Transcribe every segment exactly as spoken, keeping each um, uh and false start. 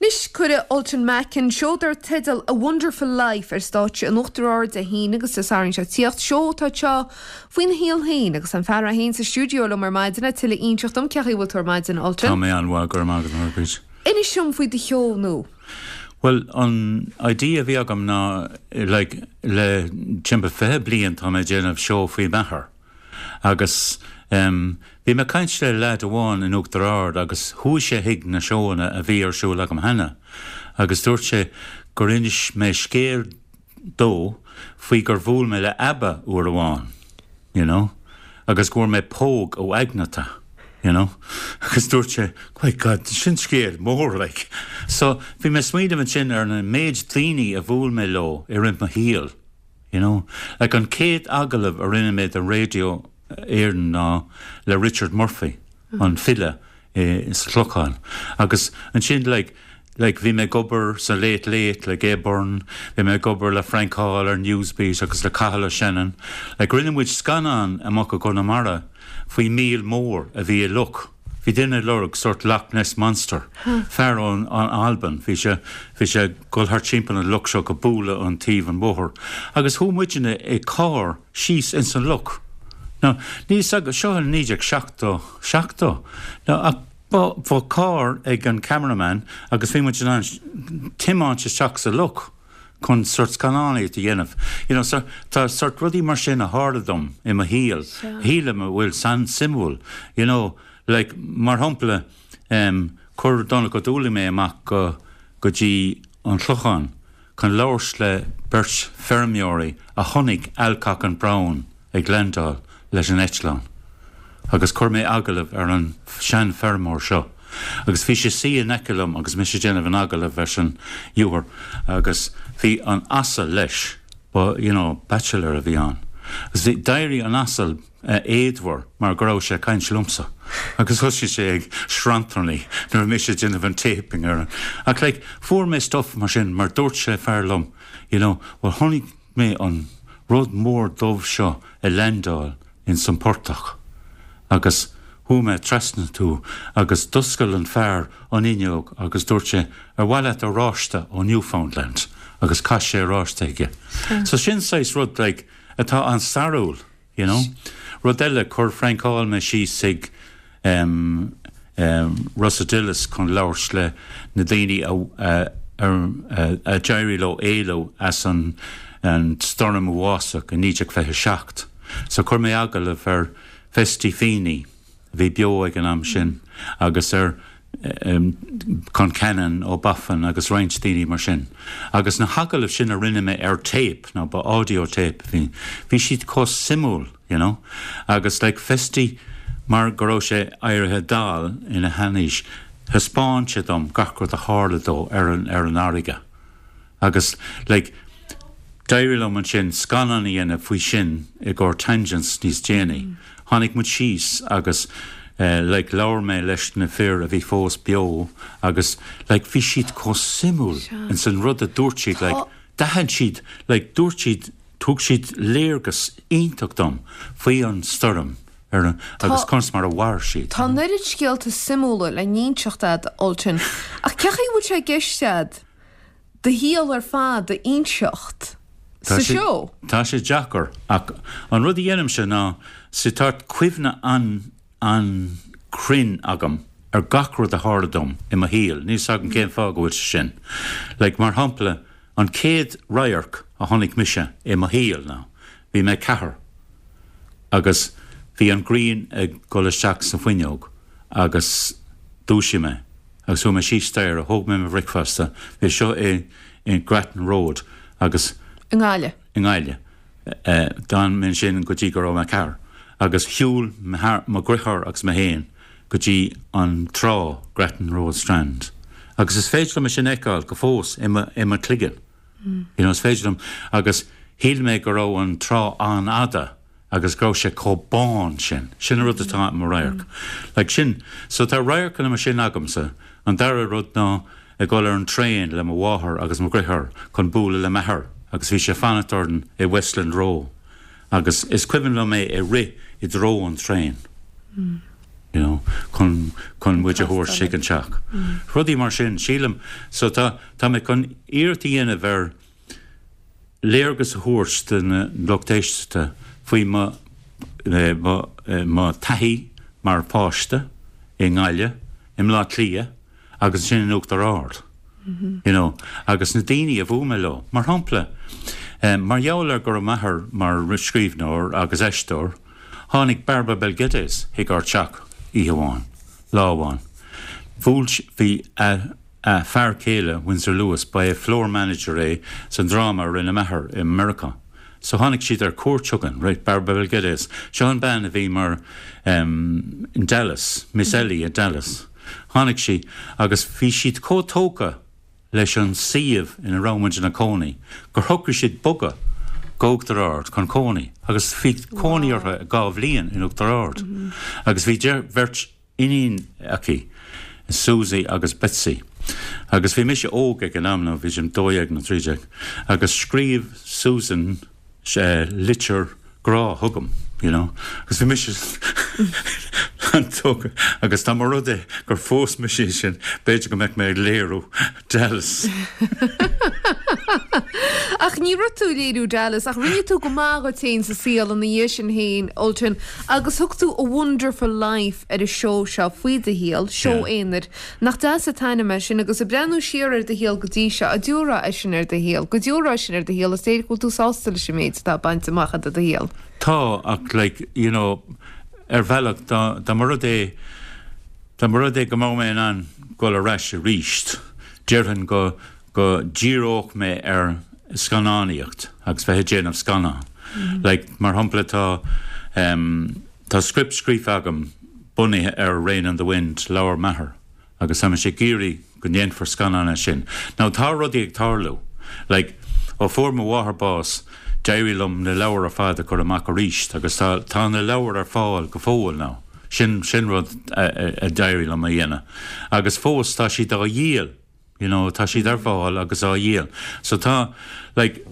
Anois cuirfidh Ultan Mackin seó dar teideal A Wonderful Life ar stáitse in Uachtar Ard Dé hAoine agus Dé Sathairn seo ag tíocht seó atá seo faoina shaol féin agus an fear é féin sa stiúideo liom ar maidin le tuilleadh a inseacht dom cén chaoi a bhfuil tú ar maidin Ultan. Tá mé an-mhaith go raibh maith agat Margaret. Inis dom faoi do sheó nua. Well an idea a bhí agam ná like, le timpeall fiche bliain tá mé déanamh seó faoi m'athair. Agus um, bhí mé caint le leaid amháin in Uachtar Ard agus chuaigh sé chuig na seóanna a bhí ar siúl agam cheana. Agus dúirt sé gur inis mé scéal dó faoi gur bhuail mé le ABBA uair amháin, you know? agus go bhfuair mé póg ó Agnetha. You know? agus dúirt sé my God sin scéal mór like. So bhí mé smaoineamh ansin ar na méid daoine a bhuail mé leo i rith mo shaoil. You know? like an céad agallamh a rinne mé do radio Éireann ná le Richard Murphy an file i sa Chlochán. Agus ansin like, like bhí mé ag obair sa Late Late le Gay Byrne, bhí mé ag obair le Frank Hall ar Newsbeat agus le Cathal Shannon, like rinne muid scannán amach i gConamara faoi míol mór a bhí i loch. Bhí duine lorg sort Loch Ness Monster. Fear ón an Albain, bhí sé bhí sé dul thart timpeall an loch seo go bualadh an taobh an bhóthair. Agus chuaigh muidne i carr síos ins an loch. Now, ní agus seo an naoi déag seachtó seachtó. Now, ach bhí carr ag an cameraman agus bhí muid in ann tiomáint isteach sa loch chun sort scannánaíocht a dhéanamh. You know, so, tá sort rudaí mar sin a tharla dom i mo shaol. Shílim a bhfuil an-suimiúil, you know, like, mar shampla um, chuir Donncha Ó Dúlaing mé amach go go dtí an Clochán chun labhairt le beirt feirmeoirí a chonaic Alcock and Brown ag landáil leis an eitleán. Agus chuir mé agallamh ar an seanfheirmeoir seo. Agus bhí sé suí in aice liom agus mise déanamh an agallamh leis an fhear agus bhí an asal leis ba you know, bachelor a bhí ann. Agus bhí d'éirigh an asal uh, éadmhar mar go raibh sé caint liomsa. Agus thosaigh sé ag sranntarnaigh nuair mise déanamh an taping ar an. Ach like, fuair mé stuff mar sin mar dúirt sé fear liom, you know, well chonaic mé an rud mór dubh seo ag landáil in san portach. Agus chuaigh mé trasna tú agus d'oscail an fear an fhuinneog agus dúirt sé ar mhaith leat oráiste ó Newfoundland agus chaith sé oráiste aige. So sin saghas rud like, atá an-stairiúil, you know? Rud eile chuir Frank Hall mé síos ag um, um, Rossadillas chun labhairt le na daoine a, a, a, a d'éirigh leo éalú as an, an stoirm uafásach in naoi déag fiche seacht. So chuir mé agallamh ar Festy Feeney bhí beo ag an am sin agus ar um, Concannon ó Buffin agus roinnt daoine mar sin. Agus na hagallaimh sin a rinne mé ar tape nó ba audio tape bhí bhí siad chomh suimiúil, you know? agus like Festy mar go raibh sé éirithe dall ina sheanaois, thaispeáin sé dom gach rud a tharla dó ar an ar an fharraige. Agus like, d'éirigh liom ansin scannán a dhéanamh faoi sin i gcomhair tangents níos déanaí. Mm. Tháinig muid síos agus uh, like, labhair mé leis na fir a bhí fós beo agus like, bhí siad chomh suimiúil in san rud a dúirt siad like, d'aithin siad like, dúirt siad thug siad léargas iontach dom faoi an stoirm ar an, agus conas mar a mhair siad. Tá neart scéalta suimiúla le n-inseacht agat Ultan ach cén chaoi bhfuil sé i gceist agat do shaol ar fad a inseacht sa seó. Tá sé deacair ach an rud a dhéanaimse ná sa tá cuimhne an an-chruinn agam ar gach rud a tharla dom i mo shaol, níl a fhios agam cén fáth go bhfuil sé sin. Like mar shampla an chéad radharc a chonaic mise i mo shaol ná, bhí mé ceathair agus bhí an ghrian ag dul isteach sa fuinneog agus dúisigh mé agus chuaigh mé síos staighre thóg mé mo bhricfeasta bhí seo i in Grattan Road agus I nGaillimh. I nGaillimh. D'fhan mé sin go dtí go raibh mé ceathair agus shiúil mo dheartháir agus mé féin go dtí an trá Grattan Road Strand. Agus is féidir liom sin a fheiceáil go fós i mo chloigeann. Mm. You know, is féidir liom agus shíl mé go raibh an trá an-fhada agus go raibh sé chomh bán sin, sin rud atá mo radharc. Mm. Like sin, so tá radharcanna mar sin agamsa, an dara rud ná ag dul ar an traein le mo mháthair agus mo dheartháir chun bualadh le m'athair agus bhí sé fanacht orainn i Westland Row. Agus is cuimhin liom mé ag rith i dtreo an traein. Mm. you know, chun chun muid a thabhairt chuig an teach. Rudaí mar sin sílim so tá tá mé chun iarracht a dhéanamh ar léargas a thabhairt don lucht éisteachta faoi mo eh, mo eh, mo taithí mar pháiste i nGaillimh, i mBleá Cliath agus sin in Uachtar Ard. You know, agus na daoine a bhuail mé leo. Mar shampla, um, mar gheall ar go raibh m'athair mar scríbhneoir agus aisteoir, tháinig Barbara Bel Geddes chuig ár teach oíche amháin, lá amháin. Bhuail bhí a, a fear céile Windsor Lewis ba é floor manager é san dráma a rinne m'athair i America. So tháinig siad ar cuairt chugainn, right, Barbara Bel Geddes. Seo an bean a bhí mar um, in Dallas, Miss Ellie in Dallas. Tháinig sí agus bhí siad chomh tógtha leis an suíomh ina raibh muid ina cónaí, gur shocraigh siad bogadh go hUachtar Ard chun cónaí, agus bhí cónaí orthu dhá bhliain in Uachtar Ard. Mm -hmm. Agus bhí beirt iníon aici, Susie agus Betsy. Agus bhí mise óg ag an am nó bhí sin dó dhéag nó trí déag, agus scríobh Susan sé litir grá chugam, you know, agus bhí mise an-tógtha agus dá mba rud é gur phós mise sin b'fhéidir go mbeadh mé ag léiriú Dallas. Ach ní raibh tú léiriú Dallas ach rinne tú go maith duit féin sa saol ina dhiaidh sin féin Ultan agus thug tú a Wonderful Life ar an seó seo faoi do shaol, seó aonair, nach deas an t-ainm é sin agus ag breathnú siar ar do shaol go dtí seo a dúra é sin ar do shaol, go dúra sin ar do shaol is léir go bhfuil tú sásta leis an méid atá bainte amach i do shaol. Tá ach like, you know, ar bhealach dá dá mba rud é dá mba rud é go mbeadh mé in ann dul ar ais arís, déarfainn go go díreodh mé ar scannánaíocht agus bheith ag déanamh scannán. Mm -hmm. Like, mar shampla tá um, tá script scríofa agam bunaithe ar Rain on the Wind leabhar m'athar agus tá sé géirí go ndéanfar scannán sin. Now tá rudaí ag tarlú, like, ó fuair mo mháthair bás, d'éirigh liom na leabhair ar fad a chur amach arís agus tá, tá na leabhair ar fáil go fóill now. Sin sin rud a d'éirigh liom a dhéanamh. Agus fós tá siad á dhíol, you know, tá siad ar fáil agus á dhíol. So tá like,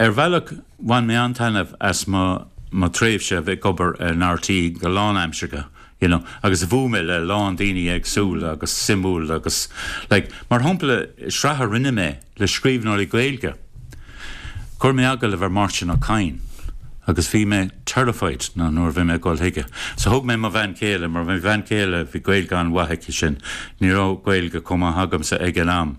ar bhealach bhain mé an-taitneamh as mo mo tréimhse bheith ag obair in RTÉ go lánaimseartha. You know, agus bhuail mé le lán daoine éagsúla agus suimiúil agus like, mar shampla sraith a rinne mé le scríbhneoirí Gaeilge. Chuir mé agallamh ar Máirtín Ó Cadhain agus bhí mé terrified na nuair bhí mé gul chuige. So thug mé mo bhean chéile mar bhí bhean chéile bhí Gaeilge an-mhaith aici sin, ní raibh Gaeilge chomh maith agamsa ag an am.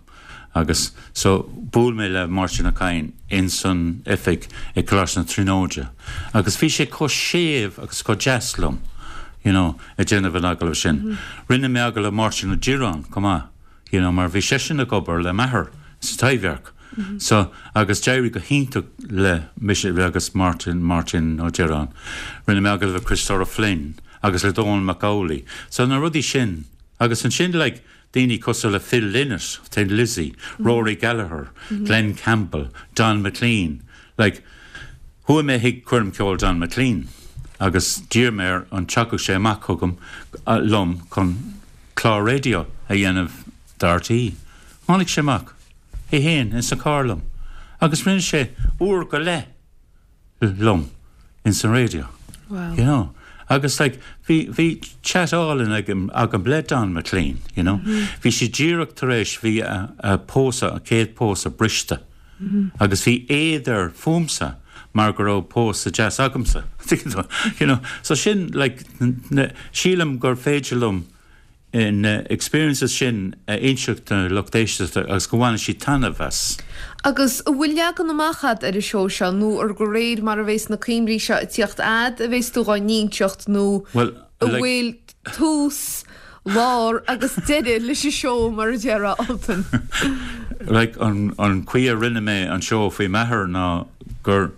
Agus so bhuail mé le Máirtín Ó Cadhain in san oifig ag Coláiste na Tríonóide. Agus bhí sé chomh séimh agus chomh deas liom, you know, ag déanamh an agallamh sin. Mm -hmm. Rinne mé agallamh Máirtín Ó Direáin chomh maith, you know, mar bhí seisean ag obair le m'athair sa Taibhdhearc. Mm -hmm. So agus d'éirigh go hiontach le mise agus Martin Martin Ó Direáin. Rinne mé agallamh le Christopher Flynn agus le Dónall Mac Amhlaigh. So na rudaí sin agus ansin like, daoine cosúil le Phil Lynott, Thin Lizzy, mm -hmm. Rory Gallagher, mm -hmm. Glenn Campbell, Don McLean. Like, chuaigh mé chuig coirm ceoil Don McLean agus d'iarr mé air an dtiocfadh sé amach chugam uh, liom chun clár raidió a dhéanamh d'RTÉ. Tháinig sé amach é féin in sa carr liom, agus rinne sé uair go leith liom in san raidió. Wow. You know? Agus like, bhí bhí chat álainn agam agam le Don McLean, you know? Mm -hmm. Bhí sé díreach tar éis bhí a, a pósadh a chéad pósadh briste. Mm -hmm. Agus bhí éad air fúmsa mar go raibh pósadh deas agamsa. you know? So sin like, sílim gur féidir liom na experiences sin a inseacht don lucht éisteachta agus go bhfaighidh siad taitneamh as. Agus bhfuil leagan amach agat ar an seó seo nó ar de réir mar a bheas na cuimhní seo ag tíocht agat a bheas tú á n-inseacht nó Well, a bhfuil tús lár agus deireadh leis an seó mar a déarfá Ultan. like, an, an chaoi a rinne mé an seó faoi m'athair ná gur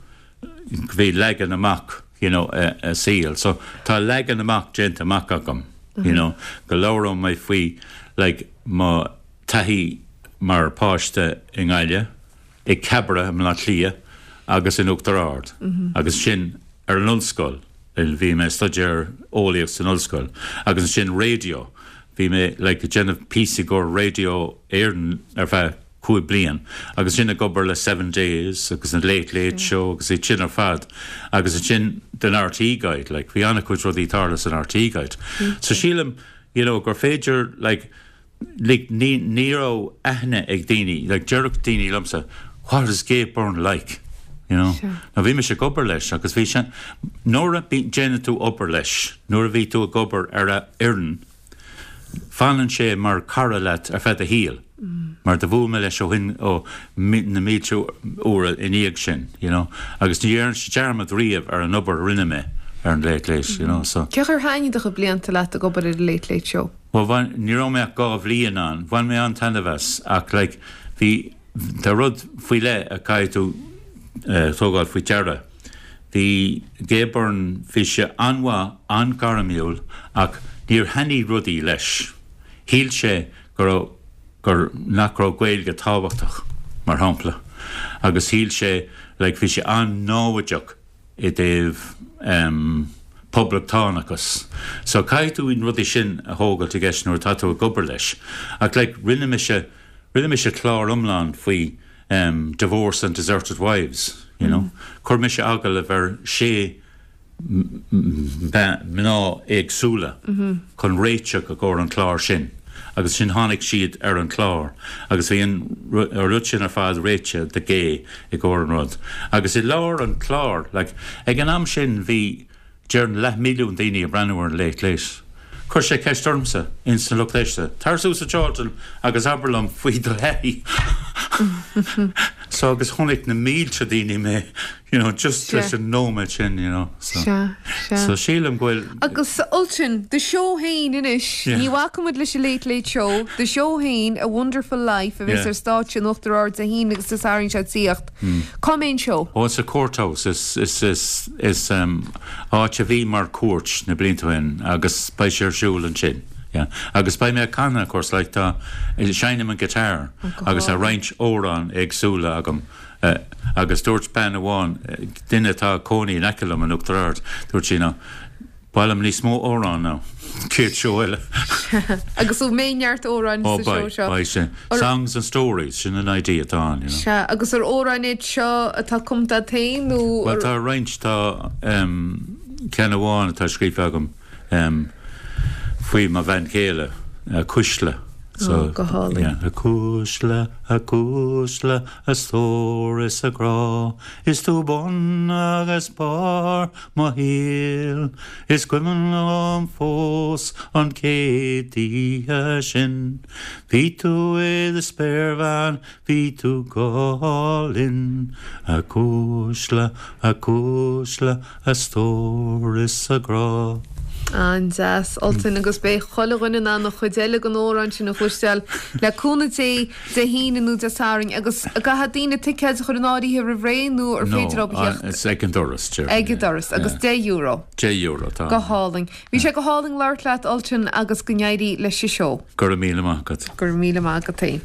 bhí leagan amach you know, a, a saol. So tá leagan amach déanta amach agam. Mm -hmm. you know, go labhróidh mé faoi like, mo taithí mar páiste i nGaillimh, i Cabra i mBleá Cliath agus in Uachtar Ard. Mm -hmm. Agus sin ar an ollscoil bhí mé staidéar eolaíocht san ollscoil, agus sin raidió. Bhí mé like, déanamh píosaí do Raidió Éireann ar feadh cúig bliain agus sin ag obair le Seven Days agus an Late Late Show agus é sin ar fad agus sin den RTÉ Guide like bhí an-chuid rudaí tarla san RTÉ Guide. So sílim you know, gur féidir like, like, ní ní raibh aithne ag daoine like deireadh daoine liomsa what is Gabe Byrne like? You know? Sure. Na bhí mise ag obair leis agus bhí sé nuair a déanann tú obair leis, nuair a bhí tú ag obair ar a fhoireann, fanann sé mar cara leat ar feadh do shaoil. Mm. Mar do bhuail mé leis ó shin ó na mílte uair i ndiaidh sin, you know? agus ní dhéanann sé dearmad riamh ar an obair a rinne mé ar an Late Late, you know, so. Cé chomh thaitin do chuid blianta leat ag obair ar an Late Late Show? Well bhain ní raibh mé ach dhá bhliain ann, bhain mé an-taitneamh as ach like, bhí tá rud faoi leith a chaithfidh tú uh, tógáil faoi deara. Bhí Gabe Byrne bhí sé an-mhaith an-ghairmiúil ach níor thaitnigh rudaí leis. Shíl sé gur gur nach raibh Gaeilge tábhachtach mar shampla. Agus shíl sé like, bhí sé an-náireach i dtaobh um, poblachtánachas. So caithfidh tú an rudaí sin a thógáil i gceist nuair atá tú ag obair leis. Ach like, rinne mise rinne mise clár iomlán faoi um, divorce and deserted wives, you know. Mm. Chuir mise agallamh ar sé mná éagsúla mm -hmm. chun réiteach i gcomhair an chlár sin. agus sin tháinig siad ar an chlár, agus bhí an rud sin ar fad réitithe do Gay i gcomhair an rud. Agus i lár an chlár, like, ag an am sin bhí déarfainn leathmhilliún daoine ag breathnú ar an Late Late. Chuir sé ceist ormsa in san lucht éisteachta. Tar suas a Cholton agus abair liom faoi do thaithí. so agus chonaic na mílte daoine mé you know, just leis an nóiméad sin you know, so. Sea, sea. So sílim go bhfuil Agus Ultan, do seó féin anois, Yeah. ní bhacfaimid leis an Late Late Show, do seó féin A Wonderful Life a bheas Yeah. ar stáitse in Uachtar Ard Dé hAoine agus Dé Sathairn seo ag tíocht. Cá mbeidh an seó? Oh, it's a courthouse is is is is um, áit a bhí mar cúirt na blianta ó shin agus beidh sé ar siúl ansin. Yeah. Agus beidh mé ag canadh of course like tá seinnim an guitar go agus a hálainn. roinnt amhrán éagsúla agam. Uh, agus dúirt bean amháin eh, duine atá cónaí in aice liom in Uachtar Ard dúirt sí ná Bhfuil níos mó amhrán ná céad seó eile. Agus ó mé neart amhrán Ó sa seó seo. beidh sin. Or- Songs and stories sin an idea atá ann, you know. Sea, agus ar amhráin iad seo atá cumtha féin nó Well tá roinnt tá um, ceann amháin atá scríofa agam um, faoi mo bhean chéile uh, Cuisle. Oh, go hálainn. yeah, a Cuisle a Cuisle a stór is a grá Is tú bun agus barr mo shaoil Is cuimhin liom fós an chéad oíche sin Bhí tú i do spéirbhean bhí tú go hálainn a Cuisle a Cuisle a stór is a grá. An-deas Ultan agus beidh chuile dhuine in ann an chuid eile den amhrán sin a chloisteáil le cúnamh Dé Dé hAoine nó Dé Sathairn agus caithfidh daoine ticéid a chur in áirithe roimh ré nó ar féidir leo uh, it's ag an doras ag an doras agus deich euro Deich euro tá. go hálainn. Bhí sé go hálainn labhairt leat Ultan agus go n-éirí leis an seó Go raibh míle maith agat. Go raibh míle maith agat.